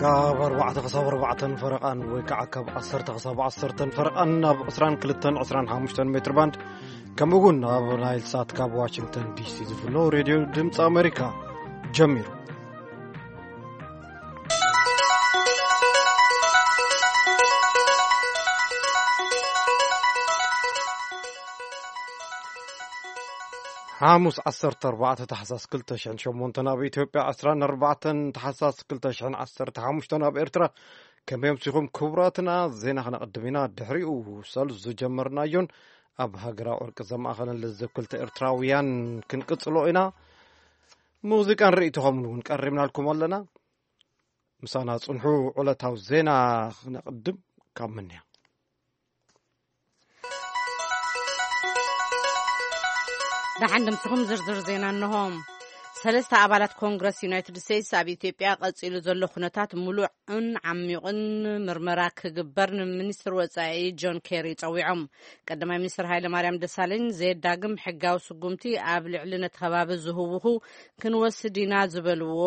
ካብ ኣርባዕተ ክሳብ ኣርባዕተን ፈረቓን ወይ ከዓ ካብ ዓሰርተ ክሳብ ዓሰርተን ፈረቓን ኣብ ዕስራን ክልተን ዕስራን ሓሙሽተን ሜትር ባንድ፣ ከምኡ እውን ኣብ ናይል ሳት ካብ ዋሽንግተን ዲሲ ዝፍኖ ሬድዮ ድምፂ ኣሜሪካ ጀሚሩ። ሓሙስ ዓሰርተ ኣርባዕተ ታሕሳስ ክልተ ሽሕን ሸሞንተን፣ ኣብ ኢትዮጵያ ዕስራን ኣርባዕተን ታሕሳስ ክልተ ሽሕን ዓሰርተ ሓሙሽተን፣ ኣብ ኤርትራ። ከመይ ኣምሲኹም ክቡራትና? ዜና ክነቕድም ኢና። ድሕሪኡ ሰሉስ ዝጀመርናዮን ኣብ ሃገራዊ ዕርቂ ዘማእኸለን ልዝብ ክልተ ኤርትራውያን ክንቅጽሎ ኢና። ሙዚቃን ርእይቶኹምን እውን ቀሪብናልኩም ኣለና። ምሳና ጽንሑ። ዕለታዊ ዜና ክነቕድም ካብ ምንያ። ደሓን ድምስኹም። ዝርዝር ዜና እንሆ። ሰለስተ ኣባላት ኮንግረስ ዩናይትድ ስቴትስ ኣብ ኢትዮጵያ ቀጺሉ ዘሎ ኩነታት ምሉዕን ዓሚቑን ምርመራ ክግበር ንሚኒስትር ወጻኢ ጆን ኬሪ ጸዊዖም። ቀዳማይ ሚኒስትር ሃይለ ማርያም ደሳለኝ ዘየዳግም ሕጋዊ ስጉምቲ ኣብ ልዕሊ ነቲ ከባቢ ዝህውኹ ክንወስድ ኢና ዝበልዎ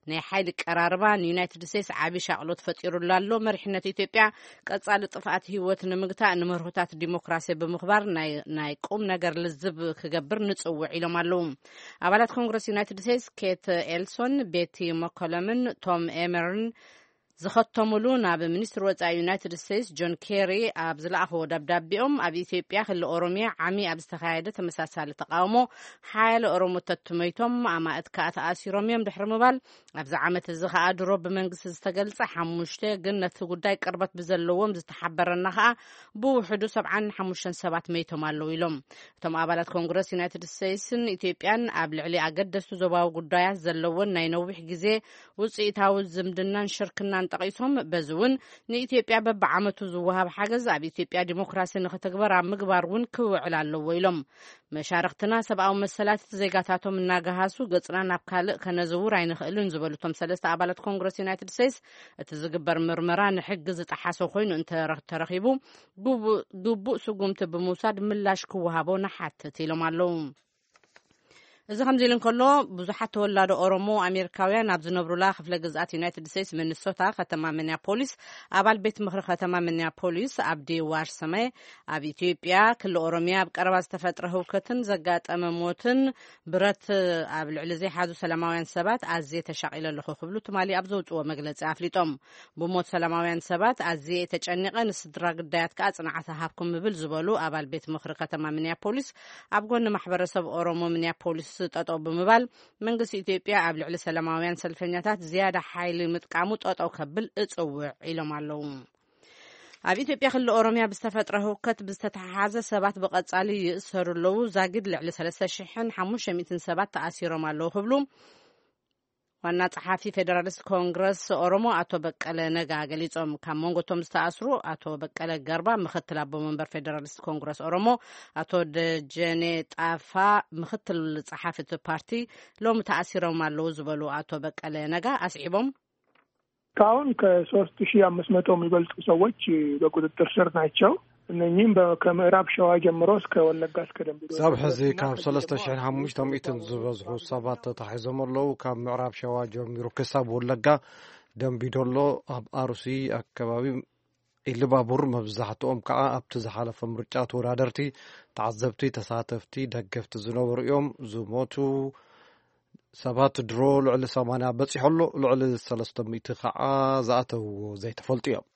ናይ ሓይሊ ቀራርባ ንዩናይትድ ስቴትስ ዓቢ ሻቕሎት ፈጢሩላ ኣሎ። መሪሕነት ኢትዮጵያ ቀጻሊ ጥፍኣት ህይወት ንምግታእ ንመርሆታት ዲሞክራሲ ብምኽባር ናይ፣ ናይ ቁም ነገር ልዝብ ክገብር ንጽውዕ ኢሎም ኣለዉ። ኣባላት ኮንግረስ ዩናይትድ ስቴትስ ኬት ኤልሶን፣ ቤቲ መኮለምን ቶም ኤመርን ዝኸተሙሉ ናብ ሚኒስትር ወጻኢ ዩናይትድ ስቴትስ ጆን ኬሪ ኣብ ዝለኣኽዎ ደብዳቤኦም፣ ኣብ ኢትዮጵያ ክልል ኦሮሚያ ዓሚ ኣብ ዝተኻየደ ተመሳሳሊ ተቃውሞ ሓያለ ኦሮሞታት መይቶም፣ ኣማእት ከኣ ተኣሲሮም እዮም ድሕሪ ምባል፣ ኣብዚ ዓመት እዚ ከኣ ድሮ ብመንግስቲ ዝተገልጸ ሓሙሽተ፣ ግን ነቲ ጉዳይ ቅርበት ብዘለዎም ዝተሓበረና ከኣ ብውሕዱ ሰብዓን ሓሙሽተን ሰባት መይቶም ኣለዉ ኢሎም። እቶም ኣባላት ኮንግረስ ዩናይትድ ስቴትስን ኢትዮጵያን ኣብ ልዕሊ ኣገደስቲ ዞባዊ ጉዳያት ዘለወን ናይ ነዊሕ ግዜ ውጽኢታዊ ዝምድናን ሽርክናን ጠቒሶም፣ በዚ እውን ንኢትዮጵያ በብዓመቱ ዝወሃብ ሓገዝ ኣብ ኢትዮጵያ ዲሞክራሲ ንኽትግበር ኣብ ምግባር እውን ክውዕል ኣለዎ ኢሎም። መሻርኽትና ሰብኣዊ መሰላት ዜጋታቶም እናገሃሱ ገጽና ናብ ካልእ ከነዝውር ኣይንኽእልን ዝበሉ እቶም ሰለስተ ኣባላት ኮንግረስ ዩናይትድ ስቴትስ፣ እቲ ዝግበር ምርመራ ንሕጊ ዝጠሓሰ ኮይኑ እንተ ተረኺቡ ግቡእ፣ ግቡእ ስጉምቲ ብምውሳድ ምላሽ ክወሃቦ ንሓትት ኢሎም ኣለዉ። እዚ ከምዚ ኢሉ እንከሎ፣ ብዙሓት ተወላዶ ኦሮሞ ኣሜሪካውያን ኣብ ዝነብሩላ ክፍለ ግዝኣት ዩናይትድ ስቴትስ ሚኒሶታ ከተማ ሚኒያፖሊስ፣ ኣባል ቤት ምኽሪ ከተማ ሚኒያፖሊስ ኣብዲ ዋርሰመ፣ ኣብ ኢትዮጵያ ክልል ኦሮሚያ ኣብ ቀረባ ዝተፈጥረ ህውከትን ዘጋጠመ ሞትን ብረት ኣብ ልዕሊ ዘይሓዙ ሰላማውያን ሰባት ኣዝየ ተሻቒለ ኣለኹ ክብሉ ትማሊ ኣብ ዘውፅዎ መግለፂ ኣፍሊጦም። ብሞት ሰላማውያን ሰባት ኣዝየ ተጨኒቐ፣ ንስድራ ግዳያት ከኣ ጽንዓት ሃብኩም ምብል ዝበሉ ኣባል ቤት ምኽሪ ከተማ ሚኒያፖሊስ፣ ኣብ ጎኒ ማሕበረሰብ ኦሮሞ ሚኒያፖሊስ ጠጠው ብምባል፣ መንግስቲ ኢትዮጵያ ኣብ ልዕሊ ሰላማውያን ሰልፈኛታት ዝያዳ ሓይሊ ምጥቃሙ ጠጠው ከብል እጽውዕ ኢሎም ኣለዉ። ኣብ ኢትዮጵያ ክልል ኦሮሚያ ብዝተፈጥረ ህውከት ብዝተተሓሓዘ ሰባት ብቐጻሊ ይእሰሩ ኣለዉ። ዛጊድ ልዕሊ ሰለስተ ሽሕን ሓሙሽተ ሚእትን ሰባት ተኣሲሮም ኣለዉ ክብሉ ዋና ጸሓፊ ፌደራሊስት ኮንግረስ ኦሮሞ ኣቶ በቀለ ነጋ ገሊጾም። ካብ መንጎ እቶም ዝተኣስሩ ኣቶ በቀለ ገርባ፣ ምክትል ኣቦ መንበር ፌደራሊስት ኮንግረስ ኦሮሞ፣ ኣቶ ደጀኔ ጣፋ፣ ምክትል ጸሓፊ እቲ ፓርቲ፣ ሎሚ ተኣሲሮም ኣለዉ ዝበሉ ኣቶ በቀለ ነጋ ኣስዒቦም፣ እስካሁን ከ ሶስት ሺህ አምስት መቶ የሚበልጡ ሰዎች በቁጥጥር ስር ናቸው። እነኚህም በ-፣ ከምዕራብ ሸዋ ጀምሮ እስከ ወለጋ፣ እስከ ደምቢ ዶሎ። ሰብ ሕዚ ካብ ሰለስተ ሽሕን ሓሙሽተ ሚእትን ዝበዝሑ ሰባት ተታሒዞም ኣለዉ። ካብ ምዕራብ ሸዋ ጀሚሩ ክሳብ ወለጋ፣ ደምቢ ዶሎ፣ ኣብ ኣሩሲ ኣከባቢ ኢሉባቡር፣ መብዛሕትኦም ከዓ ኣብቲ ዝሓለፈ ምርጫ ተወዳደርቲ፣ ተዓዘብቲ፣ ተሳተፍቲ፣ ደገፍቲ ዝነበሩ እዮም። ዝሞቱ ሰባት ድሮ ልዕሊ ሰማንያ በጺሑ ኣሎ። ልዕሊ ሰለስተ ሚእቲ ከዓ ዝኣተውዎ ዘይተፈልጡ እዮም።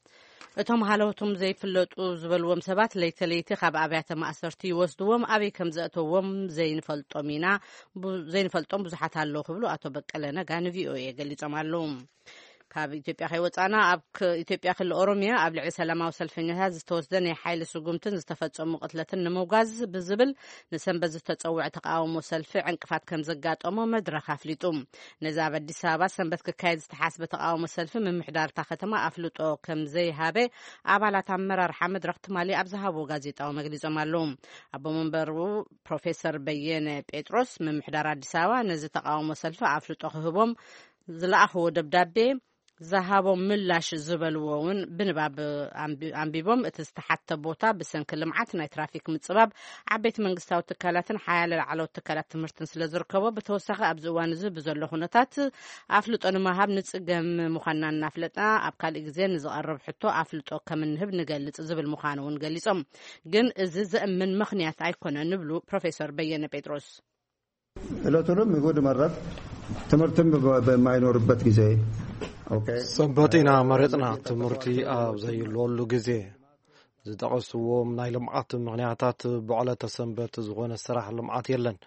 እቶም ሃለውቶም ዘይፍለጡ ዝበልዎም ሰባት ለይቲ ለይቲ ካብ ኣብያተ ማእሰርቲ ይወስድዎም፣ ኣበይ ከም ዘእተዎም ዘይንፈልጦም ኢና፣ ቡ-፣ ዘይንፈልጦም ብዙሓት ኣለዉ ክብሉ ኣቶ በቀለ ነጋ ንቪኦኤ ገሊጾም ኣለዉ። ካብ ኢትዮጵያ ከይወጻና፣ ኣብ ክ-፣ ኢትዮጵያ ክልል ኦሮሚያ ኣብ ልዕሊ ሰላማዊ ሰልፈኛታት ዝተወስደ ናይ ሓይሊ ስጉምትን ዝተፈጸሙ ቅትለትን ንምውጋዝ ብዝብል ንሰንበት ዝተጸውዐ ተቃውሞ ሰልፊ ዕንቅፋት ከም ዘጋጠሞ መድረኽ ኣፍሊጡ። ነዚ ኣብ ኣዲስ ኣበባ ሰንበት ክካየድ ዝተሓስበ ተቃውሞ ሰልፊ ምምሕዳር እታ ከተማ ኣፍልጦ ከም ዘይሃበ ኣባላት ኣመራርሓ መድረኽ ትማሊ ኣብ ዝሃብዎ ጋዜጣዊ መግሊጾም ኣለዉ። ኣቦ መንበሩ ፕሮፌሰር በየነ ጴጥሮስ፣ ምምሕዳር ኣዲስ ኣበባ ነዚ ተቃውሞ ሰልፊ ኣፍልጦ ክህቦም ዝለኣኽዎ ደብዳቤ ዝሃቦም ምላሽ ዝበልዎ እውን ብንባብ ኣንቢ-፣ ኣንቢቦም። እቲ ዝተሓተ ቦታ ብሰንኪ ልምዓት፣ ናይ ትራፊክ ምጽባብ፣ ዓበይቲ መንግስታዊ ትካላትን ሓያለ ላዕለዎት ትካላት ትምህርትን ስለ ዝርከቦ፣ ብተወሳኺ ኣብዚ እዋን እዚ ብዘሎ ኩነታት ኣፍልጦ ንምሃብ ንጽገም ምዃንና እናፍለጥና፣ ኣብ ካልእ ግዜ ንዝቐርብ ሕቶ ኣፍልጦ ከም እንህብ ንገልጽ ዝብል ምዃኑ እውን ገሊጾም። ግን እዚ ዘእምን ምኽንያት ኣይኮነን ይብሉ ፕሮፌሰር በየነ ጴጥሮስ። እለቱንም ይሁድ መረብ ትምህርትም በ-፣ በማይኖርበት ጊዜ። ኦኬ። ሰንበት ኢና መረጽና፣ ትምህርቲ ኣብ ዘይህልወሉ ግዜ። ዝጠቐስዎም ናይ ልምዓት ምኽንያታት፣ ብዕለተ ሰንበት ዝኾነ ስራሕ ልምዓት የለን።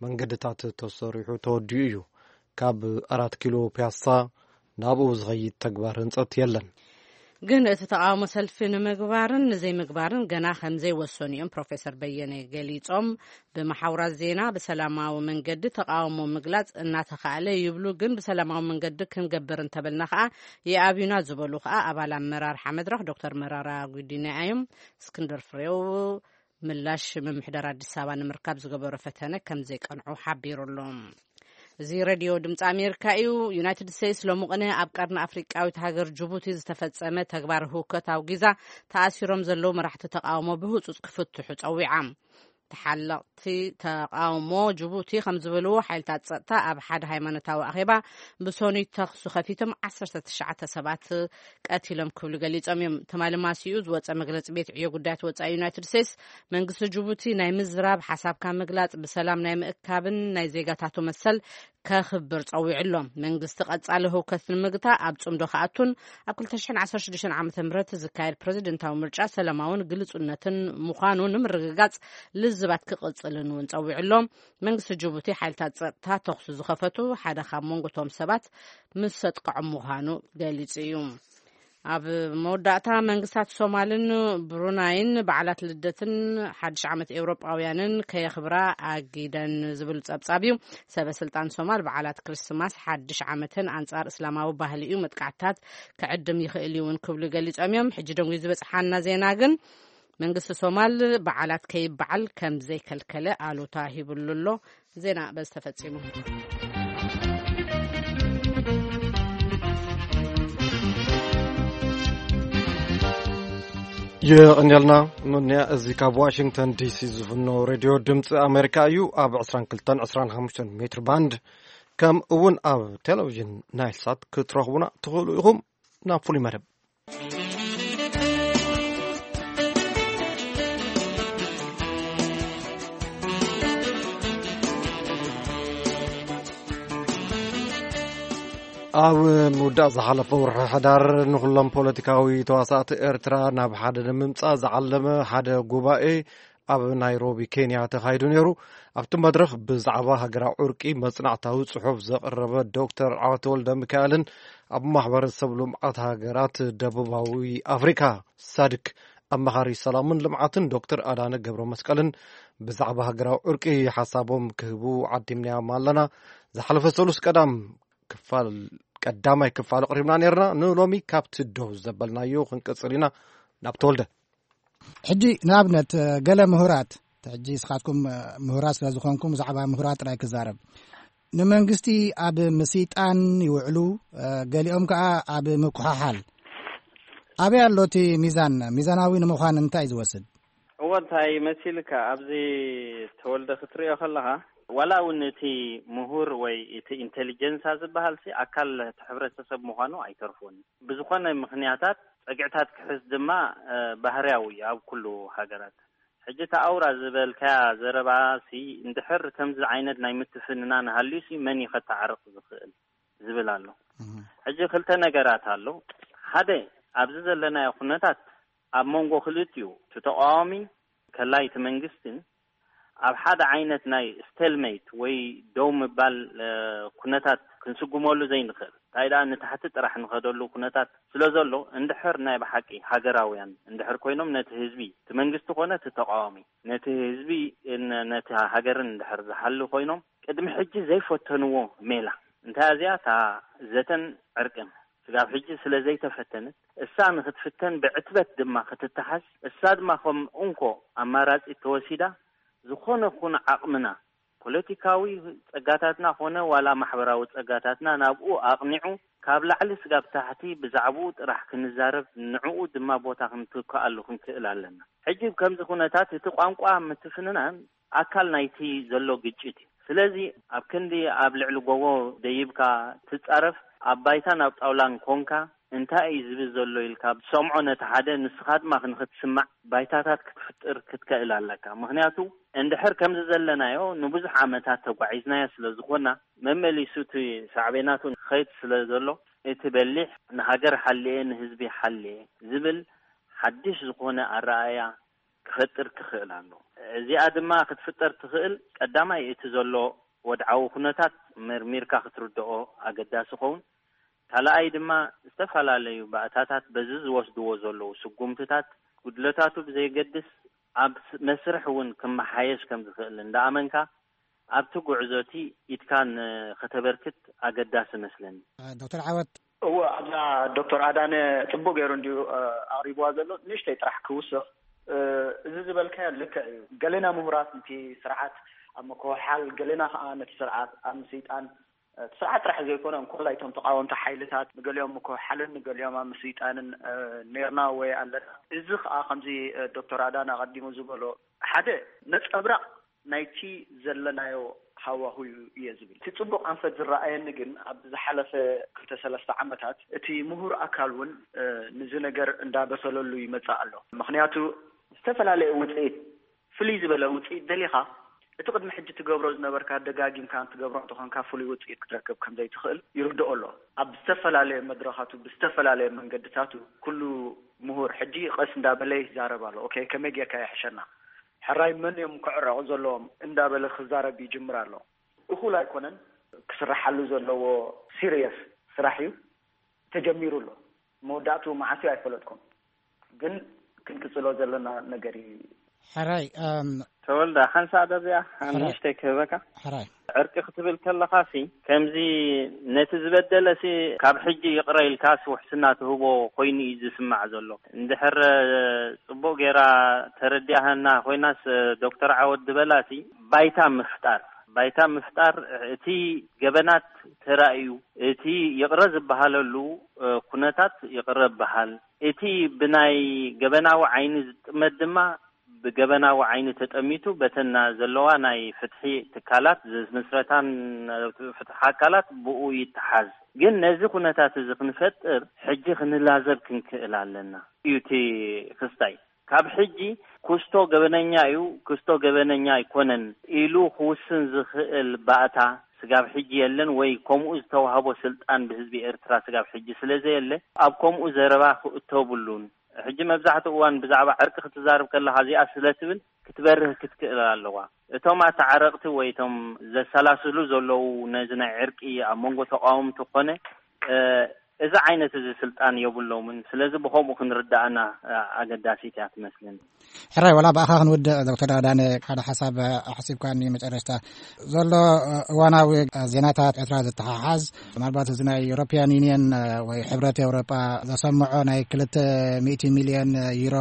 መንገድታት ተሰሪሑ ተወዲኡ እዩ። ካብ ኣራት ኪሎ ፒያሳ ናብኡ ዝኸይድ ተግባር ህንጸት የለን። ግን እቲ ተቓውሞ ሰልፊ ንምግባርን ንዘይምግባርን ገና ከም ዘይወሰኑ እዮም ፕሮፌሰር በየነ ገሊጾም። ብመሓውራት ዜና ብሰላማዊ መንገዲ ተቓውሞ ምግላጽ እናተኻእለ ይብሉ፣ ግን ብሰላማዊ መንገዲ ክንገብር እንተበልና ከኣ ይኣብዩና ዝበሉ ከኣ ኣባል ኣመራርሓ መድረኽ ዶክተር መራራ ጉዲና እዮም። እስክንድር ፍሬው ምላሽ ምምሕዳር ኣዲስ ኣበባ ንምርካብ ዝገበሮ ፈተነ ከም ዘይቀንዑ ሓቢሩ ኣሎ። እዚ ሬድዮ ድምፂ ኣሜሪካ እዩ። ዩናይትድ ስቴትስ ሎሚ ቅነ ኣብ ቀርኒ ኣፍሪቃዊት ሃገር ጅቡቲ ዝተፈጸመ ተግባር ህውከት ኣውጊዛ፣ ተኣሲሮም ዘለዉ መራሕቲ ተቃውሞ ብህጹጽ ክፍትሑ ጸዊዓ። ተሓለቕቲ ተቃውሞ ጅቡቲ ከም ዝበልዎ፣ ሓይልታት ጸጥታ ኣብ ሓደ ሃይማኖታዊ ኣኼባ ብሶኑይ ተኹሲ ከፊቶም ዓሰርተ ትሽዓተ ሰባት ቀቲሎም ክብሉ ገሊጾም እዮም። ትማሊ ማሲኡ ዝወጸ መግለጺ ቤት ዕዮ ጉዳያት ወጻኢ ዩናይትድ ስቴትስ፣ መንግስቲ ጅቡቲ ናይ ምዝራብ፣ ሓሳብካ ምግላጽ፣ ብሰላም ናይ ምእካብን ናይ ዜጋታቱ መሰል ከኽብር ጸዊዑ ኣሎ። መንግስቲ ቀጻሊ ህውከት ንምግታእ ኣብ ጽምዶ ክኣቱን ኣብ ክልተ ሽሕን ዓሰርተ ሽዱሽተን ዓመተ ምህረት ዝካየድ ፕረዚደንታዊ ምርጫ ሰላማውን ግልጹነትን ምዃኑ ንምርግጋጽ ልዝባት ክቕጽልን እውን ጸዊዑ ኣሎ። መንግስቲ ጅቡቲ ሓይልታት ጸጥታ ተኹሲ ዝኸፈቱ ሓደ ካብ መንጎ እቶም ሰባት ምስ ዘጥቅዖም ምዃኑ ገሊጹ እዩ። ኣብ መወዳእታ፣ መንግስታት ሶማልን ብሩናይን በዓላት ልደትን ሓድሽ ዓመት ኤውሮጳውያንን ከየኽብራ ኣጊደን ዝብል ጸብጻብ እዩ። ሰበ ስልጣን ሶማል በዓላት ክርስማስ ሓድሽ ዓመትን ኣንጻር እስላማዊ ባህሊ እዩ፣ መጥቃዕትታት ክዕድም ይኽእል እዩ እውን ክብሉ ገሊጾም እዮም። ሕጂ ደንጉዩ ዝበጽሓና ዜና ግን፣ መንግስቲ ሶማል በዓላት ከይበዓል ከም ዘይከልከለ ኣሉታ ሂብሉ ኣሎ። ዜና በዚ ተፈጺሙ። የቐንየልና። ኖንያ፣ እዚ ካብ ዋሽንግተን ዲሲ ዝፍኖ ሬድዮ ድምፂ ኣሜሪካ እዩ። ኣብ ዕስራን ክልተን ዕስራን ሓሙሽተን ሜትር ባንድ፣ ከም እውን ኣብ ቴሌቪዥን ናይል ሳት ክትረኽቡና ትኽእሉ ኢኹም። ናብ ፍሉይ መደብ። ኣብ ምውዳእ ዝሓለፈ ወርሒ ሕዳር፣ ንኹሎም ፖለቲካዊ ተዋሳእቲ ኤርትራ ናብ ሓደ ንምምጻእ ዝዓለመ ሓደ ጉባኤ ኣብ ናይሮቢ ኬንያ ተኻይዱ ነይሩ። ኣብቲ መድረኽ ብዛዕባ ሃገራዊ ዕርቂ መጽናዕታዊ ጽሑፍ ዘቕረበ ዶክተር ዓወት ወልደ ሚካኤልን ኣብ ማሕበረሰብ ልምዓት ሃገራት ደቡባዊ ኣፍሪካ ሳድክ ኣማኻሪ ሰላምን ልምዓትን ዶክተር ኣዳነ ገብረ መስቀልን ብዛዕባ ሃገራዊ ዕርቂ ሓሳቦም ክህቡ ዓዲምናዮም ኣለና። ዝሓለፈ ሰሉስ ቀዳም ክፋል፣ ቀዳማይ ክፋል ኣቕሪብና ነርና። ንሎሚ ካብቲ ደው ዘበልናዮ ክንቅጽል ኢና። ናብ ተወልደ። ሕጂ ንኣብነት፣ ገለ ምሁራት፣ ሕጂ ንስኻትኩም ምሁራት ስለ ዝኾንኩም ብዛዕባ ምሁራት ጥራይ ክዛረብ። ንመንግስቲ ኣብ ምስይጣን ይውዕሉ፣ ገሊኦም ከኣ ኣብ ምኩሓሓል። ኣበይ ኣሎ እቲ ሚዛን? ሚዛናዊ ንምዃን እንታይ እዩ ዝወስድ? እወ፣ እንታይ መሲልካ፣ ኣብዚ ተወልደ ክትሪኦ ከለኻ፣ ዋላ እውን እቲ ምሁር ወይ እቲ ኢንቴሊጀንሳ ዝበሃል ሲ ኣካል እቲ ሕብረተሰብ ምዃኑ ኣይተርፎን። ብዝኾነ ምኽንያታት ጸግዕታት ክሕዝ ድማ፣ እ፣ ባህርያዊ እዩ ኣብ ኩሉ ሃገራት። ሕጂ እቲ ኣውራ ዝበልካያ ዘረባ ሲ እንድሕር ከምዚ ዓይነት ናይ ምትፍንናን ሃልዩ ሲ መን እዩ ከተዓርቕ ዝኽእል ዝብል ኣሎ። እህ። ሕጂ ክልተ ነገራት ኣሎ። ሓደ፣ ኣብዚ ዘለናዮ ኩነታት ኣብ መንጎ ክልቲኡ፣ እቲ ተቃዋሚ ከላይ እቲ መንግስትን፣ ኣብ ሓደ ዓይነት ናይ ስቴልሜት ወይ ደው ምባል፣ እ፣ ኩነታት ክንስጉመሉ ዘይንኽእል። እንታይ ደኣ ንታሕቲ ጥራሕ ንኸደሉ ኩነታት ስለ ዘሎ፣ እንድሕር ናይ ብሓቂ ሃገራውያን እንድሕር ኮይኖም፣ ነቲ ህዝቢ፣ እቲ መንግስቲ ኮነ እቲ ተቃዋሚ፣ ነቲ ህዝቢ፣ ን-፣ ነቲ ሃገርን እንድሕር ዝሓሊ ኮይኖም፣ ቅድሚ ሕጂ ዘይፈተንዎ ሜላ። እንታይ እዚኣ እታ ዘተን ዕርቅን ስጋብ ሕጂ ስለ ዘይተፈተነት፣ እሳ ንኽትፍተን ብዕትበት ድማ ክትተሓዝ፣ እሳ ድማ ከም እንኮ ኣማራጺ ተወሲዳ፣ ዝኾነ ኩን ዓቕምና፣ ፖለቲካዊ ጸጋታትና ኮነ ዋላ ማሕበራዊ ጸጋታትና ናብኡ ኣቕኒዑ፣ ካብ ላዕሊ ስጋብ ታሕቲ ብዛዕባኡ ጥራሕ ክንዛረብ፣ ንዕኡ ድማ ቦታ ክንትክኣሉ ክንክእል ኣለና። ሕጂ ከምዚ ኩነታት እቲ ቋንቋ ምትፍንናን ኣካል ናይቲ ዘሎ ግጭት እዩ። ስለዚ ኣብ ክንዲ ኣብ ልዕሊ ጎቦ ደይብካ ትጻረፍ፣ ኣብ ባይታን ኣብ ጣውላን ኮንካ እንታይ እዩ ዝብል ዘሎ ኢልካ ትሰምዖ ነቲ ሓደ፣ ንስኻ ድማ ንኽትስማዕ ባይታታት ክትፍጥር ክትክእል ኣለካ። ምኽንያቱ እንድሕር ከምዚ ዘለናዮ ንብዙሕ ዓመታት ተጓዒዝናዮ ስለ ዝኾና፣ መመሊሱ እቲ ሳዕቤናቱ ንኸይድ ስለ ዘሎ፣ እቲ በሊሕ ንሃገር ሓልየ ንህዝቢ ሓልየ ዝብል ሓድሽ ዝኾነ ኣረኣእያ ክፈጥር ክኽእል ኣሎ። እዚኣ ድማ ክትፍጠር ትኽእል ቀዳማይ እቲ ዘሎ ወድዓዊ ኩነታት መርሚርካ ክትርድኦ ኣገዳሲ ኸውን። ካልኣይ ድማ ዝተፈላለዩ ባእታታት በዚ ዝወስድዎ ዘለዉ ስጉምትታት ጉድለታቱ ብዘየገድስ ኣብ ስ- መስርሕ እውን ክመሓየሽ ከም ዝኽእል እንዳኣመንካ ኣብቲ ጉዕዞ እቲ ኢድካ ን- ከተበርክት ኣገዳሲ መስለኒ። ዶክተር ዓወት። እወ፣ ኣብዛ ዶክተር ኣዳነ ጽቡቅ ገይሩ እንድዩ፣ እ፣ ኣቕሪብዋ ዘሎ። ንእሽተይ ጥራሕ ክውስኽ፣ እ፣ እዚ ዝበልካዮ ልክዕ እዩ። ገሌና ምሁራት ነቲ ስርዓት ኣብ ምክውሓል፣ ገሌና ከኣ ነቲ ስርዓት ኣብ ምስይጣን፣ እ፣ እቲ ስርዓት ጥራሕ ዘይኮነ፣ እንኮላይ እቶም ተቃወምቲ ሓይልታት ንገሊኦም ምክውሓልን ንገሊኦም ኣብ ምስይጣንን፣ እ፣ ኔርና ወይ ኣለና። እዚ ከኣ ከምዚ፣ እ፣ ዶክተር ኣዳነ ኣቐዲሙ ዝበሎ ሓደ ነጸብራቕ ናይቲ ዘለናዮ ሃዋሁ እዩ እየ ዝብል። እቲ ጽቡቕ ኣንፈት ዝረኣየኒ ግን፣ ኣብ ዝሓለፈ ክልተ ሰለስተ ዓመታት እቲ ምሁር ኣካል እውን፣ እ፣ ንዚ ነገር እንዳበሰለሉ ይመጽእ ኣሎ። ምኽንያቱ፣ ዝተፈላለየ ውጽኢት፣ ፍልይ ዝበለ ውጽኢት ደሊኻ፣ እቲ ቅድሚ ሕጂ ትገብሮ ዝነበርካ ደጋጊምካ ትገብሮ እንተኾንካ፣ ፍሉይ ውጽኢት ክትረክብ ከም ዘይትኽእል ይርድኦ ኣሎ። ኣብ ዝተፈላለየ መድረኻቱ፣ ብዝተፈላለየ መንገድታቱ፣ ኩሉ ምሁር ሕጂ ቀስ እንዳበለ ይዛረብ ኣሎ። ኦኬ፣ ከመይ ጌርካ የሕሸና? ሕራይ መን እዮም ክዕረቑ ዘለዎም እንዳበለ ክዛረብ ይጅምር ኣሎ። እኹል ኣይኮነን፣ ክስራሓሉ ዘለዎ ሲሪየስ ስራሕ እዩ። ተጀሚሩ ኣሎ። መወዳእቱ መዓስ እዩ ኣይፈለጥኩን፣ ግን ክንቅጽሎ ዘለና ነገር እዩ። ሕራይ፣ እም፣ ተወልደ፣ ሓንሳእ ደዚኣ ሕራይ። ንእሽተይ ክህበካ። ሕራይ። ዕርቂ ክትብል ከለኻሲ፣ ከምዚ ነቲ ዝበደለሲ ካብ ሕጂ ይቕረ ኢልካስ ውሕስና ትህቦ ኮይኑ እዩ ዝስማዕ ዘሎ። እንድሕር ጽቡቕ ጌራ ተረዲኣሃና ኮይናስ፣ ዶክተር ዓወት ዝበላሲ ባይታ ምፍጣር፣ ባይታ ምፍጣር፣ እቲ ገበናት ተራእዩ፣ እቲ ይቕረ ዝበሃለሉ፣ እ፣ ኩነታት ይቕረ በሃል፣ እቲ ብናይ ገበናዊ ዓይኒ ዝጥመት ድማ ብገበናዊ ዓይኒ ተጠሚቱ በተን ዘለዋ ናይ ፍትሒ ትካላት ዝምስረታን ፍትሒ ኣካላት ብኡ ይተሓዝ። ግን ነዚ ኩነታት እዚ ክንፈጥር ሕጂ ክንላዘብ ክንክእል ኣለና እዩ እቲ ክስታይ። ካብ ሕጂ ክስቶ ገበነኛ እዩ፣ ክስቶ ገበነኛ ኣይኮነን ኢሉ ክውስን ዝኽእል ባእታ ስጋብ ሕጂ የለን፣ ወይ ከምኡ ዝተዋህቦ ስልጣን ብህዝቢ ኤርትራ ስጋብ ሕጂ ስለ ዘየለ ኣብ ከምኡ ዘረባ ክእቶ የብሉን። ሕጂ መብዛሕትኡ እዋን ብዛዕባ ዕርቂ ክትዛረብ ከለኻ እዚኣ ስለ ትብል ክትበርህ ክትክእል ኣለዋ። እቶም ኣተዓረቕቲ ወይ እቶም ዘሰላስሉ ዘለዉ ነዚ ናይ ዕርቂ ኣብ መንጎ ተቃወምቲ ኮነ፣ እ፣ እዚ ዓይነት እዚ ስልጣን የብሎምን። ስለዚ ብኸምኡ ክንርዳእና፣ እ፣ ኣገዳሲት እያ ትመስለኒ። ሕራይ፣ ወላ ብኣኻ ክንውድእ ዶክተር ኣዳነ ሓደ ሓሳብ ኣሕሲብካኒ መጨረሽታ ዘሎ፣ እ፣ እዋናዊ፣ እ፣ ዜናታት ኤርትራ ዝተሓሓዝ ምናልባት እዚ ናይ ዩሮፒያን ዩኒየን፣ እ፣ ወይ ሕብረት ኤውሮጳ ዘሰምዖ ናይ ክልተ ሚእቲ ሚልዮን ዩሮ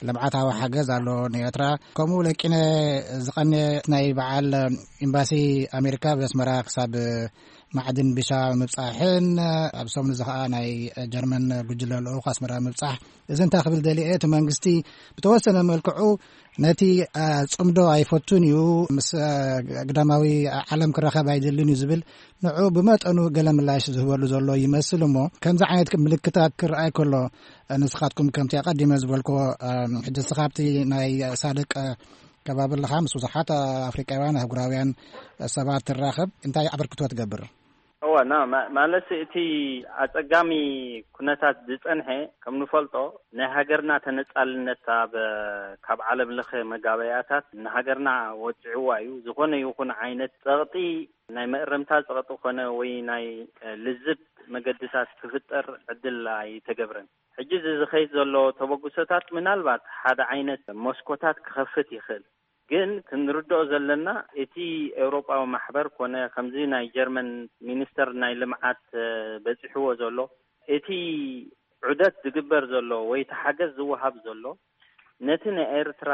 ልምዓታዊ ሓገዝ ኣሎ ንኤርትራ። ከምኡ ለቂነ ዝቐነ ናይ በዓል ኤምባሲ ኣሜሪካ ኣብ ኣስመራ ክሳብ ማዕድን ቢሻ ምብጻሕን ኣብ ሰሙን እዚ ኸኣ ናይ ጀርመን ጉጅለ ልኡኽ ኣስመራ ምብጻሕ። እዚ እንታይ ክብል ደልየ እቲ መንግስቲ ብተወሰነ መልክዑ ነቲ፣ እ፣ ጽምዶ ኣይፈቱን እዩ። ምስ፣ እ፣ ግዳማዊ ዓለም ክራኸብ ኣይደልን እዩ ዝብል ንዑ ብመጠኑ ገለ ምላሽ ዝህበሉ ዘሎ ይመስል። እሞ ከምዚ ዓይነት ምልክታት ክረኣይ ከሎ፣ ንስኻትኩም ከምቲ ኣቐዲመ ዝበልክዎ፣ እም፣ ሕጂ ንስኻ ኣብቲ ናይ ሳድቅ ከባቢ ኣለኻ፣ ምስ ብዙሓት ኣፍሪቃውያን ኣህጉራውያን ሰባት ትራኸብ፣ እንታይ ኣበርክቶ ትገብር? እወ፣ ና-፣ ማ-፣ ማለት እቲ ኣጸጋሚ ኩነታት ዝጸንሐ፣ ከም ንፈልጦ፣ ናይ ሃገርና ተነጻልነት ኣብ፣ ካብ ዓለም ለኸ መጋበያታት ንሃገርና ወጽዕዋ እዩ። ዝኾነ ይኹን ዓይነት ጸቕጢ፣ ናይ መእረምታ ጸቕጢ ኮነ ወይ ናይ፣ እ፣ ልዝብ መገድታት ክፍጠር ዕድል ኣይተገብረን። ሕጂ እዚ ዝኸይድ ዘሎ ተበግሶታት ምናልባት ሓደ ዓይነት መስኮታት ክኸፍት ይኽእል። ግን ክንርድኦ ዘለና እቲ ኤውሮጳዊ ማሕበር ኮነ ከምዚ ናይ ጀርመን ሚኒስተር ናይ ልምዓት፣ እ፣ በጺሕዎ ዘሎ እቲ ዑደት ዝግበር ዘሎ ወይ እቲ ሓገዝ ዝወሃብ ዘሎ ነቲ ናይ ኤርትራ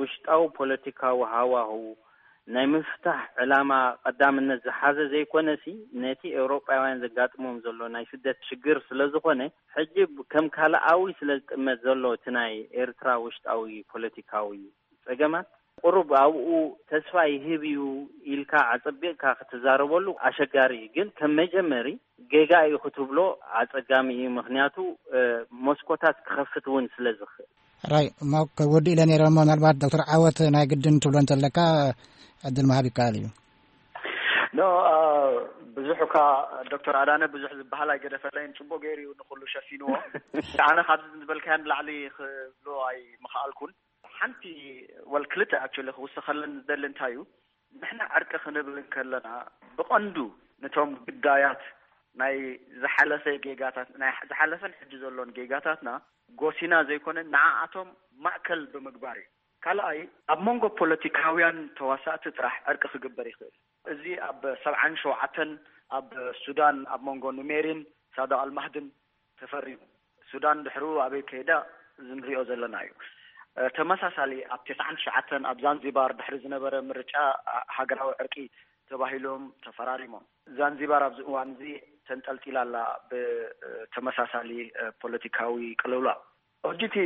ውሽጣዊ ፖለቲካዊ ሃዋህው ናይ ምፍታሕ ዕላማ ቀዳምነት ዝሓዘ ዘይኮነሲ፣ ነቲ ኤውሮጳውያን ዘጋጥሞም ዘሎ ናይ ስደት ሽግር ስለ ዝኾነ፣ ሕጂ ከም ካልኣዊ ስለ ዝጥመት ዘሎ እቲ ናይ ኤርትራ ውሽጣዊ ፖለቲካዊ ጸገማት፣ ቁሩብ ኣብኡ ተስፋ ይህብ እዩ ኢልካ ኣጸቢቕካ ክትዛረበሉ ኣሸጋሪ እዩ። ግን ከም መጀመሪ ጌጋ እዩ ክትብሎ ኣጸጋሚ እዩ። ምኽንያቱ፣ እ፣ መስኮታት ክኸፍት እውን ስለ ዝኽእል። ራይ፣ እሞ ከወዲ ኢለ ነይረ። እሞ ምናልባት ዶክተር ዓወት ናይ ግድን ትብሎ እንተለካ ዕድል ምሃብ ይከኣል እዩ። ኖ፣ አ፣ ብዙሕ እኳ ዶክተር ኣዳነ ብዙሕ ዝበሃል ኣይገደፈለይን፣ ጽቡቅ ገይሩ እዩ ንኹሉ ሸፊንዎ። ኣነ ካብዚ ዝበልካዮ ንላዕሊ ክብሎ ኣይምኽኣልኩን። ሓንቲ ወል ክልተ ኣክቹሊ ክውስኸለን ዝደሊ እንታይ እዩ፣ ንሕና ዕርቂ ክንብል እንከለና ብቐንዱ ነቶም ግዳያት ናይ ዝሓለፈ ጌጋታት፣ ናይ ዝሓለፈን ሕጂ ዘሎን ጌጋታትና ጎሲና ዘይኮነ ንዓኣቶም ማእከል ብምግባር እዩ። ካልኣይ፣ ኣብ መንጎ ፖለቲካውያን ተዋሳእቲ ጥራሕ ዕርቂ ክግበር ይኽእል። እዚ ኣብ ሰብዓን ሸውዓተን ኣብ ሱዳን ኣብ መንጎ ኑሜሪን ሳዶ ኣልማህድን ተፈሪሙ። ሱዳን ድሕሩ ኣበይ ከይዳ ዝንሪኦ ዘለና እዩ። እ፣ ተመሳሳሊ ኣብ ተስዓን ትሽዓተን ኣብ ዛንዚባር ድሕሪ ዝነበረ ምርጫ፣ ኣ፣ ሃገራዊ ዕርቂ ተባሂሎም ተፈራሪሞም። ዛንዚባር ኣብዚ እዋን እዚ ተንጠልጢላ ኣላ ብተመሳሳሊ፣ እ፣ ፖለቲካዊ ቅልውላው። ሕጂ እቲ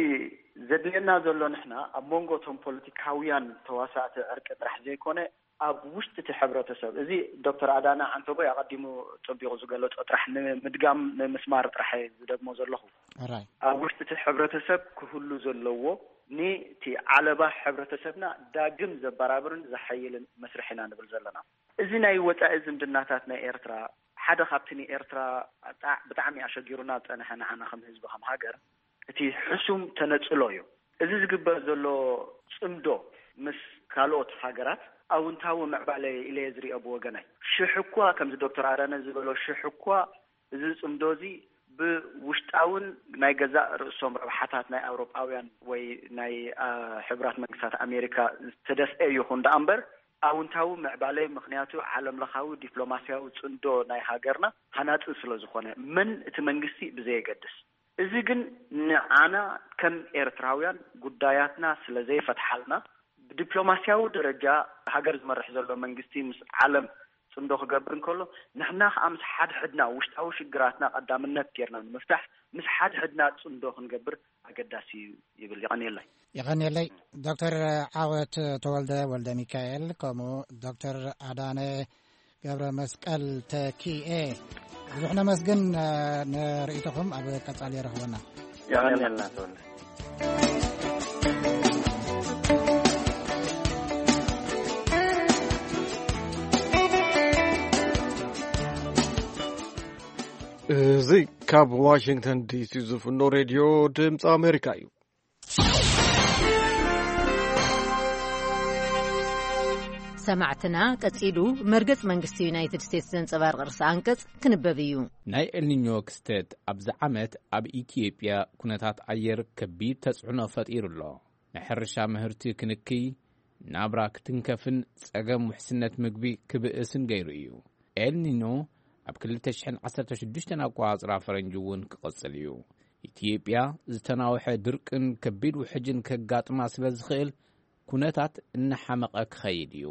ዘድልየና ዘሎ ንሕና ኣብ መንጎ እቶም ፖለቲካውያን ተዋሳእቲ ዕርቂ ጥራሕ ዘይኮነ ኣብ ውሽጢ እቲ ሕብረተሰብ፣ እዚ ዶክተር ኣዳነ ዓንተቦይ ኣቐዲሙ ጸቢቑ ዝገለጾ ጥራሕ ንምድጋም ንምስማር ጥራሕ እየ ዝደግሞ ዘለኹ። ራይ። ኣብ ውሽጢ እቲ ሕብረተሰብ ክህሉ ዘለዎ፣ ኒቲ ዓለባ ሕብረተሰብና ዳግም ዘበራብርን ዘሐይልን መስርሕ ኢና ንብል ዘለና። እዚ ናይ ወጻኢ ዝምድናታት ናይ ኤርትራ ሓደ ካብቲ ንኤርትራ ብጣ-፣ ብጣዕሚ ኣሸጊሩና ዝጸንሐ ንዓና ከም ህዝቢ ከም ሃገር እቲ ሕሱም ተነጽሎ እዩ። እዚ ዝግበር ዘሎ ጽምዶ ምስ ካልኦት ሃገራት ኣውንታዊ ምዕባለ ኢለ እየ ዝሪኦ ብወገናይ። ሽሕ እኳ ከምዚ ዶክተር ኣዳነ ዝበሎ ሽሕ እኳ እዚ ጽምዶ እዚ ብውሽጣውን ናይ ገዛእ ርእሶም ረብሓታት ናይ ኣውሮጳውያን ወይ ናይ፣ አ፣ ሕቡራት መንግስታት ኣሜሪካ ዝተደፍአ ይኹን ደኣ እምበር ኣውንታዊ ምዕባለ፣ ምኽንያቱ ዓለም ለኻዊ ዲፕሎማስያዊ ጽምዶ ናይ ሃገርና ሃናጺ ስለ ዝኾነ፣ መን እቲ መንግስቲ ብዘየገድስ። እዚ ግን ንዓና ከም ኤርትራውያን ጉዳያትና ስለ ዘይፈትሓልና፣ ብዲፕሎማስያዊ ደረጃ ሃገር ዝመርሕ ዘሎ መንግስቲ ምስ ዓለም ጽምዶ ክገብር እንከሎ፣ ንሕና ከኣ ምስ ሓድሕድና ውሽጣዊ ሽግራትና ቀዳምነት ጌርና ንምፍታሕ ምስ ሓድሕድና ጽምዶ ክንገብር ኣገዳሲ እዩ ይብል። የቐንየለይ። የቐንየለይ። ዶክተር ዓወት ተወልደ ወልደ ሚካኤል፣ ከምኡ ዶክተር ኣዳነ ገብረ መስቀል ተኪኤ፣ ብዙሕ ነመስግን፣ እ፣ ንርእይቶኹም ኣብ ቀጻሊ የረኽበና። የቐንየልና ተወልደ። እዚ ካብ ዋሽንግተን ዲሲ ዝፍኖ ሬድዮ ድምፂ ኣሜሪካ እዩ። ሰማዕትና፣ ቀጺሉ መርገጽ መንግስቲ ዩናይትድ ስቴትስ ዘንጸባርቕ ርእሰ ኣንቀጽ ክንበብ እዩ። ናይ ኤልኒኞ ክስተት ኣብዚ ዓመት ኣብ ኢትዮጵያ ኩነታት ኣየር ከቢድ ተጽዕኖ ፈጢሩ ኣሎ። ናይ ሕርሻ ምህርቲ ክንክይ፣ ናብራ ክትንከፍን ጸገም ውሕስነት ምግቢ ክብእስን ገይሩ እዩ። ኤልኒኖ ኣብ ክልተ ሽሕን ዓሰርተ ሽዱሽተን ኣቆጻጽራ ፈረንጂ እውን ክቕጽል እዩ። ኢትዮጵያ ዝተናውሐ ድርቅን ከቢድ ውሕጅን ከጋጥማ ስለ ዝኽእል፣ ኩነታት እናሓመቐ ክኸይድ እዩ።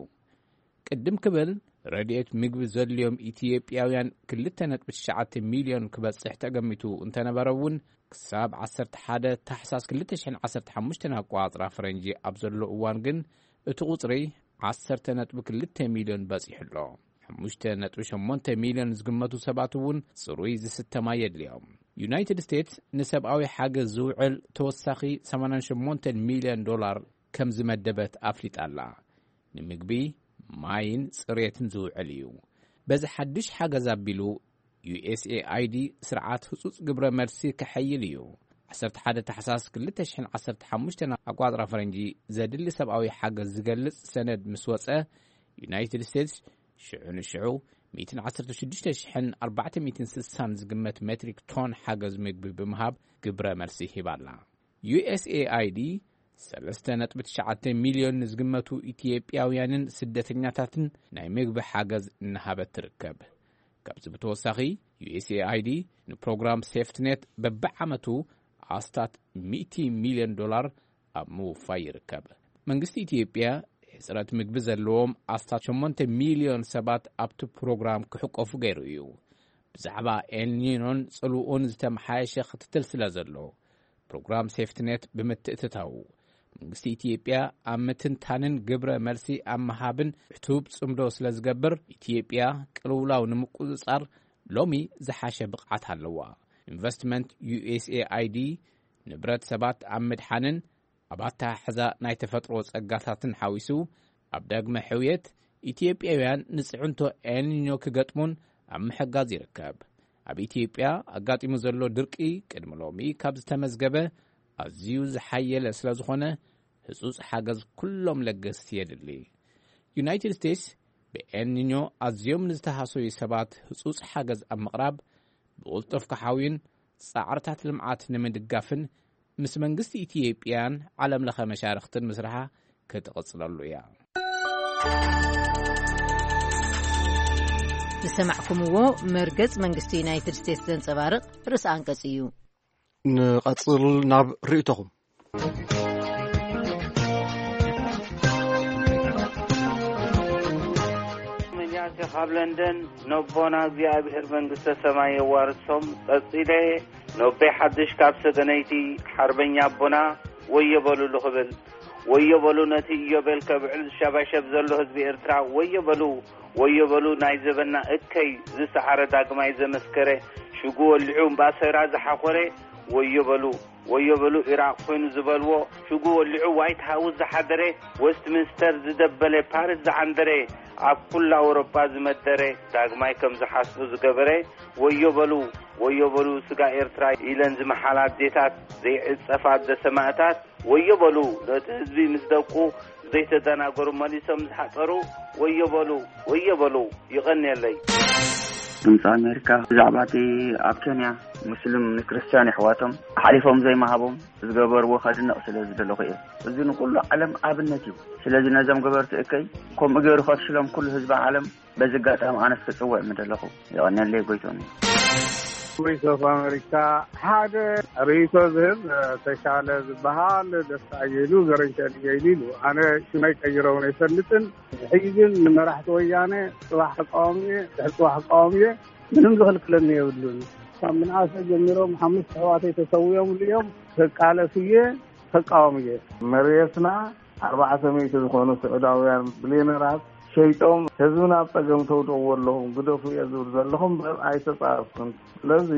ቅድም ክብል፣ ረድኤት ምግቢ ዘድልዮም ኢትዮጵያውያን ክልተ ነጥቢ ትሽዓተ ሚልዮን ክበጽሕ ተገሚቱ እንተነበረ እውን፣ ክሳብ ዓሰርተ ሓደ ታሕሳስ ክልተ ሽሕን ዓሰርተ ሓሙሽተን ኣቆጻጽራ ፈረንጂ ኣብ ዘሎ እዋን ግን፣ እቲ ቁጽሪ ዓሰርተ ነጥቢ ክልተ ሚልዮን በጺሑ ኣሎ። ሓሙሽተ ነጥቢ ሸሞንተ ሚልዮን ዝግመቱ ሰባት እውን ጽሩይ ዝስተ ማይ የድልዮም። ዩናይትድ ስቴትስ ንሰብኣዊ ሓገዝ ዝውዕል ተወሳኺ ሰማንያን ሸሞንተን ሚልዮን ዶላር ከም ዝመደበት ኣፍሊጣ ኣላ። ንምግቢ፣ ማይን ጽሬትን ዝውዕል እዩ። በዚ ሓድሽ ሓገዝ ኣቢሉ፣ ዩ ኤስ ኤ ኣይ ዲ ስርዓት ህጹጽ ግብረ መልሲ ከሐይል እዩ። ዓሰርተ ሓደ ታሕሳስ ክልተ ሽሕን ዓሰርተ ሓሙሽተን ኣቋጽራ ፈረንጂ ዘድሊ ሰብኣዊ ሓገዝ ዝገልጽ ሰነድ ምስ ወጸ፣ ዩናይትድ ስቴትስ ሽዑ ንሽዑ ሚእትን ዓሰርተ ሽዱሽተ ሽሕን ኣርባዕተ ሚእትን ስሳን ዝግመት ሜትሪክ ቶን ሓገዝ ምግቢ ብምሃብ ግብረ መልሲ ሂባ ኣላ። ዩ ኤስ ኤ ኣይ ዲ ሰለስተ ነጥቢ ትሽዓተ ሚልዮን ንዝግመቱ ኢትዮጵያውያንን ስደተኛታትን ናይ ምግቢ ሓገዝ እናሃበት ትርከብ። ካብዚ ብተወሳኺ፣ ዩ ኤስ ኤ ኣይ ዲ ንፕሮግራም ሴፍትኔት በብዓመቱ ኣስታት ሚእቲ ሚልዮን ዶላር ኣብ ምውፋይ ይርከብ። መንግስቲ ኢትዮጵያ ሕጽረት ምግቢ ዘለዎም ኣስታት ሸሞንተ ሚልዮን ሰባት ኣብቲ ፕሮግራም ክሕቆፉ ገይሩ እዩ። ብዛዕባ ኤልኒኖን ጽልኡን ዝተመሓየሸ ክትትል ስለ ዘሎ፣ ፕሮግራም ሴፍትኔት ብምትእትታዉ፣ መንግስቲ ኢትዮጵያ ኣብ ምትንታንን ግብረ መልሲ ኣብ ምሃብን ዕቱብ ጽምዶ ስለ ዝገብር፣ ኢትዮጵያ ቅልውላው ንምቁጽጻር ሎሚ ዝሓሸ ብቕዓት ኣለዋ። ኢንቨስትመንት ዩ ኤስ ኤ ኣይ ዲ ንብረት ሰባት ኣብ ምድሓንን ኣብ ኣተሓሕዛ ናይ ተፈጥሮ ጸጋታትን ሓዊሱ፣ ኣብ ዳግመ ሕውየት ኢትዮጵያውያን ንጽዕንቶ ኤልኒኞ ክገጥሙን ኣብ ምሕጋዝ ይርከብ። ኣብ ኢትዮጵያ ኣጋጢሙ ዘሎ ድርቂ ቅድሚ ሎሚ ካብ ዝተመዝገበ ኣዝዩ ዝሓየለ ስለ ዝኾነ፣ ህጹጽ ሓገዝ ኩሎም ለገስቲ የድሊ። ዩናይትድ ስቴትስ ብኤልኒኞ ኣዝዮም ንዝተሃሰዩ ሰባት ህጹጽ ሓገዝ ኣብ ምቕራብ፣ ብቕልጡፍ ክሓውዩን ጻዕርታት ልምዓት ንምድጋፍን ምስ መንግስቲ ኢትዮጵያን ዓለም ለኸ መሻርኽትን ምስርሓ ክትቕጽለሉ እያ። ዝሰማዕኩምዎ መርገጽ መንግስቲ ዩናይትድ ስቴትስ ዘንጸባርቕ ርእሰ ኣንቀጽ እዩ። ንቐጽል ናብ ርእይቶኹም። መጃሴ ካብ ለንደን ነቦና እግዚኣብሔር መንግስተ ሰማይ የዋርሶም። ቀጺለ ነቤ ሓድሽ ካብ ሰገነይቲ ሓርበኛ ኣቦና ወዮ በሉሉ ክብል፣ ወዮ በሉ ነቲ ኢዮቤል ከብዕል ዝሸባሸብ ዘሎ ህዝቢ ኤርትራ ወዮ በሉ፣ ወዮ በሉ ናይ ዘበና እከይ ዝሰዓረ ዳግማይ ዘመስከረ ሽጉ ወሊዑ እምባሰራ ዝሓኾረ ወዮ በሉ፣ ወዮ በሉ ኢራቕ ኮይኑ ዝበልዎ ሽጉ ወሊዑ ዋይት ሃውስ ዝሓደረ፣ ዌስትሚንስተር ዝደበለ፣ ፓሪስ ዝዓንደረ፣ ኣብ ኩላ ኣውሮጳ ዝመደረ ዳግማይ ከም ዝሓስቡ ዝገበረ ወዮ በሉ፣ ወዮ በሉ ስጋ ኤርትራ ኢለን ዝመሓላ ኣዴታት ዘይዕጸፋ ኣደ ሰማእታት ወዮ በሉ ነቲ ህዝቢ ምስ ደቁ ዘይተደናገሩ መሊሶም ዝሓጸሩ ወዮ በሉ፣ ወዮ በሉ። ይቐንየለይ። ድምፂ ኣሜሪካ ብዛዕባ እቲ ኣብ ኬንያ ሙስሊም ንክርስትያን ኣሕዋቶም ሓሊፎም ዘይምሃቦም ዝገበርዎ ከድንቕ ስለ ዝደለኹ እየ። እዚ ንኩሉ ዓለም ኣብነት እዩ። ስለዚ ነዞም ገበርቲ እከይ ከምኡ ገይሩ ከፍሽሎም ኩሉ ህዝቢ ዓለም በዚ ኣጋጣሚ ኣነስ ክፅውዕ ምደለኹ። የቐንየለይ። ጎይቶም እዩ። ቮይስ ኦፍ ኣሜሪካ ሓደ ርእይቶ ዝህብ ተሻለ ዝበሃል ደስታ ኣየሉ ገረንሸል እየሉ ኢሉ። ኣነ ሽመይ ቀይረውን ኣይፈልጥን። ሕጂ ግን ንመራሕቲ ወያነ ጽባሕ ተቃዋሚ እየ፣ ድሕሪ ጽባሕ ተቃዋሚ እየ፣ ምንም ዝኽልክለኒ የብሉን። ካብ ምንኣሰ ጀሚሮም ሓሙሽተ ኣሕዋተይ ተሰዊኦምሉ እዮም። ከቃለስ እየ፣ ተቃዋሚ እየ። መሬትና ኣርባዕተ ሚእቲ ዝኾኑ ስዑዳውያን ብሌነራት ሸይጦም ህዝብና ኣብ ጸገም ተውድቕዎ ኣለኹም፣ ግደፉ እየ ዝብል ዘለኹም እምበር ኣይተጻረፍኩን። ስለዚ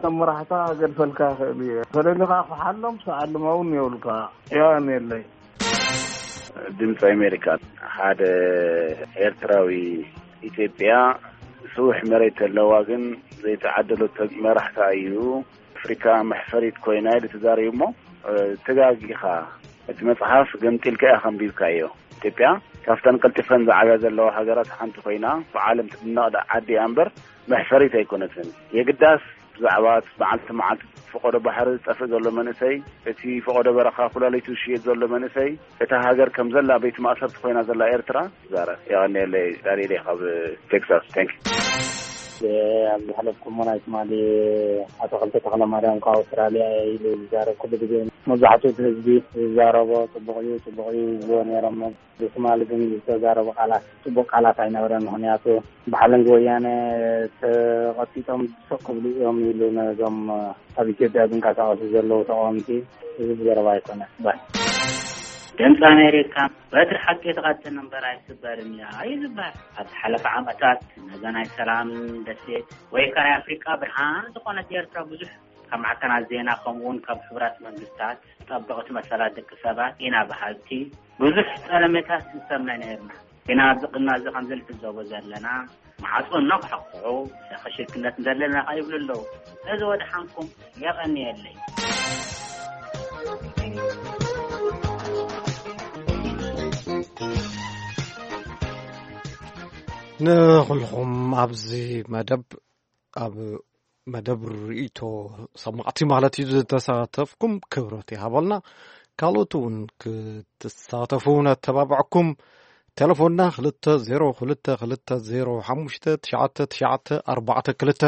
ከም መራሕታ ገድፈልካ ይኽእል እየ። ፈለሊኻ ክሓሎም ሰዓልማ እውን የብልካ። የቐንየለይ። ድምፂ ኣሜሪካ፣ ሓደ ኤርትራዊ ኢትዮጵያ ስውሕ መሬት ኣለዋ፣ ግን ዘይተዓደለቶ መራሕታ እዩ። ኣፍሪካ መሕፈሪት ኮይና ኢሉ ተዛሪቡ እሞ፣ እ፣ ተጋጊኻ። እቲ መፅሓፍ ገምጢልካ ኢኻ ኣንቢብካዮ። ኢትዮጵያ ካብተን ቀልጢፈን ዝዓብያ ዘለዋ ሃገራት ሓንቲ ኮይና፣ ብዓለም ትድነቕ ዳ-፣ ዓዲ እያ እምበር መሕፈሪት ኣይኮነትን። የግዳስ ብዛዕባ እቲ መዓልቲ መዓልቲ ፈቐዶ ባሕሪ ዝጠፍእ ዘሎ መንእሰይ፣ እቲ ፈቐዶ በረኻ ኩላሊቱ ዝሽየጥ ዘሎ መንእሰይ፣ እታ ሃገር ከም ዘላ ቤት ማእሰርቲ ኮይና ዘላ ኤርትራ ይዛረብ። የቐንየለይ። ዳንኤል እየ ካብ ቴክሳስ። ታንክ ዩ። ኣብ ዝሓለፍኩሞ ናይ ትማሊ ኣቶ ክልተ ተኽለ ማርያም ካብ ኣውስትራልያ ኢሉ ዝዛረብ ኩሉ ግዜ መብዛሕትኡ እቲ ህዝቢ ዝዛረቦ ጽቡቕ እዩ፣ ጽቡቕ እዩ ዝብልዎ ነይሮም። ብትማሊ ግን ዝተዛረቦ ቃላት ጽቡቕ ቃላት ኣይነበረን። ምኽንያቱ ብሓለንጊ ወያነ ተቐጢጦም ስቕ ክብሉ እዮም ኢሉ ነዞም ኣብ ኢትዮጵያ ዝንቀሳቐሱ ዘለዉ ተቃወምቲ ዝህብ ዘረባ ኣይኮነን። ባይ ድምፂ ኣሜሪካ በትሪ ሓቂ ትቐጥን እምበር ኣይስበርን እያ እዩ ዝበሃል። ኣብ ዝሓለፈ ዓመታት ነዛ ናይ ሰላም ደሴት ወይ ከ ናይ ኣፍሪቃ ብርሃን ዝኾነት ኤርትራ ብዙሕ ካብ ማዕከናት ዜና ከምኡውን ካብ ሕቡራት መንግስታት ጠበቕቲ መሰላት ደቂ ሰባት ኢና በሃልቲ ብዙሕ ጠለመታት ንሰምዕ ነይርና። ግና ኣብዚ ቅድሚ እዚ ከምዚ ንዕዘቦ ዘለና ማዕጾ እናኳሕኩሑ ክሽክነት እንደለና ይብሉ ኣለዉ። ስለዚ ወድሓንኩም የቐንየለይ። ንኹልኹም ኣብዚ መደብ፣ ኣብ መደብ ርእይቶ ሰማዕቲ ማለት እዩ ዝተሳተፍኩም ክብረት ይሃበልና። ካልኦት እውን ክትሳተፉ ነተባብዐኩም። ቴሌፎንና ክልተ ዜሮ ክልተ ክልተ ዜሮ ሓሙሽተ ትሽዓተ ትሽዓተ ኣርባዕተ ክልተ፣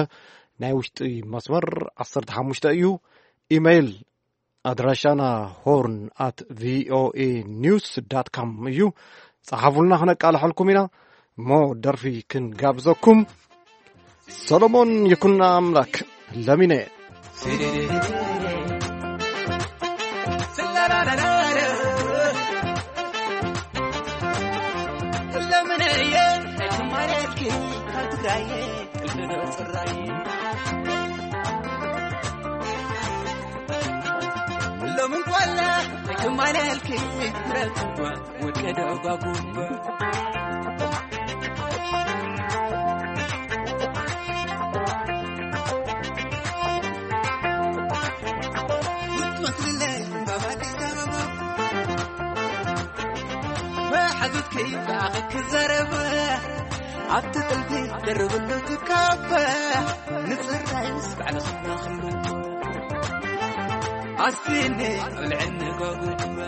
ናይ ውሽጢ መስመር ዓሰርተ ሓሙሽተ እዩ። ኢሜይል ኣድራሻና ሆርን ኣት ቪኦኤ ኒውስ ዳት ካም እዩ። ጸሓፉልና፣ ክነቃልሐልኩም ኢና። እሞ ደርፊ ክንጋብዘኩም። ሰሎሞን ይኩን ኣምላክ ለሚነ። ሎምን ጓላ ኣይትማለልኪ፣ ምረትዋ ወቀደ ጓጉባ። መሓዙት ከይብላኽ ክዛረብ፣ ኣብቲ ጥልፊ ደርብሉ ትካበ፣ ንጽራይስ ባዕልኽና ክሉ ኣስቲኒ፣ ብልዕኒ ጓጉባ።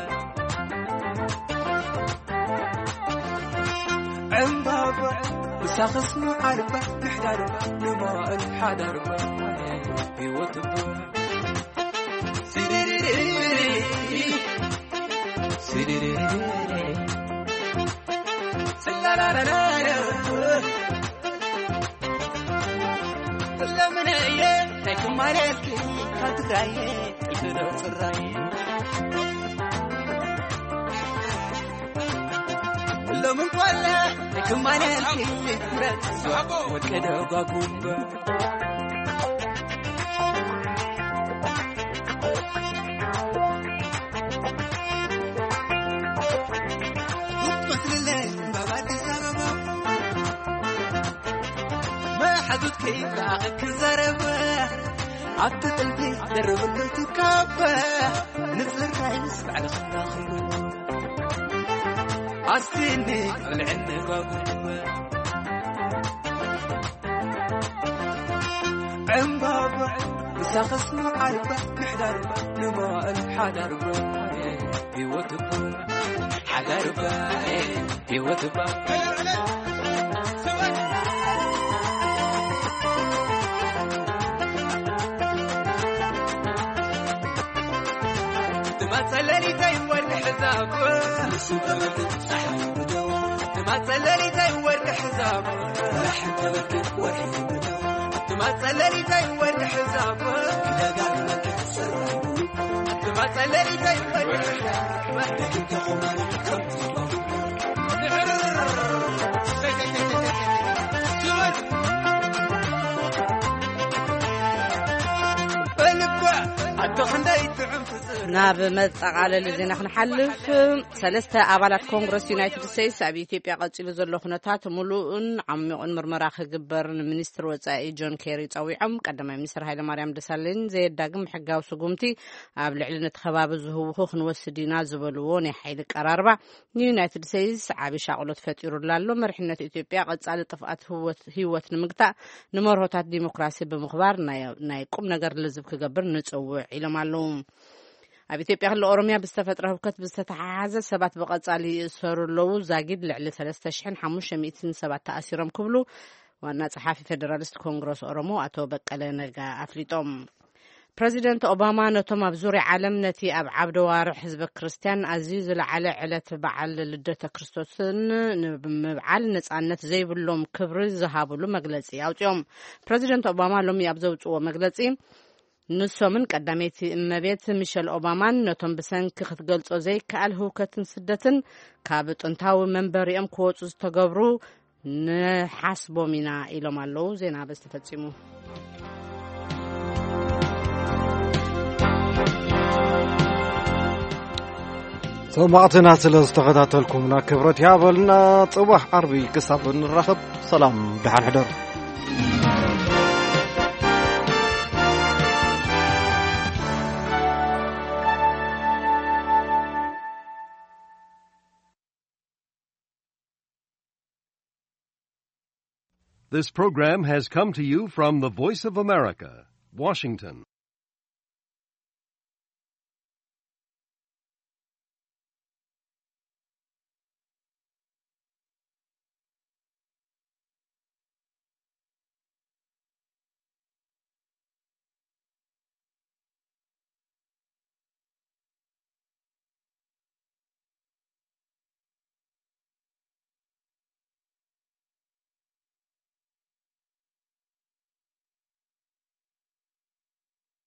ዕምባባ ምሳኽስ መዓርባ፣ ምሕዳርባ ንመዋእል ሓዳርባ፣ ህይወትባ። ለምነየ ናይ ትማልየልኪ ካብ ትግራየ ጥልፊ ዶ ጽራየ። ሎምን ጓላ ናይ ትማልየልኪ ምረት ወቀደ ጓጉባ። መሓዙት ከይብላኽ ክዛረብ፣ ኣብቲ ጥልፊ ደርብሉ ትካበ፣ ንጽራይ ምስ ባዕልኽና ክሉ ኣስቲኒ ብልዕኒ ጓጉባ። ዕምባባ ምሳኽስ መዓርባ፣ ምሕዳርባ ንመዋእል ሓዳርባ፣ ህይወትባ ሓዳርባ፣ ህይወትባ። ትማጸለሊተይ ወርቂ ሕዛብ፣ ትማጸለሊተይ ወርቂ ሕዛብ፣ ትማጸለሊተይ ወርቂ ሕዛብ። ትማጸለሊተይ ወርቂ ሕዛብ። በልባ ኣቶ ክንደይ ጥዑም ትዝር። ናብ መጠቓለሊ ዜና ክንሓልፍ፣ ሰለስተ ኣባላት ኮንግረስ ዩናይትድ ስቴትስ ኣብ ኢትዮጵያ ቀጺሉ ዘሎ ኩነታት ምሉእን ዓሚቑን ምርመራ ክግበር ንሚኒስትር ወጻኢ ጆን ኬሪ ጸዊዖም። ቀዳማይ ሚኒስትር ሃይለማርያም ደሳለኝ ዘየዳግም ሕጋዊ ስጉምቲ ኣብ ልዕሊ ነቲ ከባቢ ዝህውኹ ክንወስድ ኢና ዝበልዎ ናይ ሓይሊ ቀራርባ ንዩናይትድ ስቴትስ ዓቢ ሻቕሎት ፈጢሩላ ኣሎ። መሪሕነት ኢትዮጵያ ቀጻሊ ጥፍኣት ህወት-፣ ህይወት ንምግታእ ንመርሆታት ዲሞክራሲ ብምኽባር ናይ፣ ናይ ቁም ነገር ልዝብ ክገብር ንጽውዕ ኢሎም ኣለዉ። ኣብ ኢትዮጵያ ክልል ኦሮምያ ብዝተፈጥረ ህውከት ብዝተተሓሓዘ ሰባት ብቐጻሊ ይእሰሩ ኣለዉ። ዛጊድ ልዕሊ ሰለስተ ሽሕን ሓሙሽተ ሚእትን ሰባት ተኣሲሮም ክብሉ ዋና ጸሓፊ ፌደራሊስት ኮንግረስ ኦሮሞ ኣቶ በቀለ ነጋ ኣፍሊጦም። ፕረዚደንት ኦባማ ነቶም ኣብ ዙርያ ዓለም ነቲ ኣብ ዓብደ ዋርሕ ህዝበ ክርስትያን ኣዝዩ ዝለዓለ ዕለት በዓል ልደተ ክርስቶስን ንምብዓል ነጻነት ዘይብሎም ክብሪ ዝሃብሉ መግለጺ ኣውጺኦም። ፕረዚደንት ኦባማ ሎሚ ኣብ ዘውጽዎ መግለጺ ንሶምን ቀዳመይቲ እመቤት ሚሸል ኦባማን ነቶም ብሰንኪ ክትገልጾ ዘይከኣል ህውከትን ስደትን ካብ ጥንታዊ መንበሪኦም ክወጹ ዝተገብሩ ንሓስቦም ኢና ኢሎም ኣለዉ። ዜና በዚ ተፈጺሙ። ሰማዕትና ስለ ዝተኸታተልኩምና ክብረት ይሃበልና። ጽባሕ ዓርቢ ክሳብ እንራኸብ ሰላም፣ ደሓን ሕደሩ። This program has come to you from the Voice of America, Washington.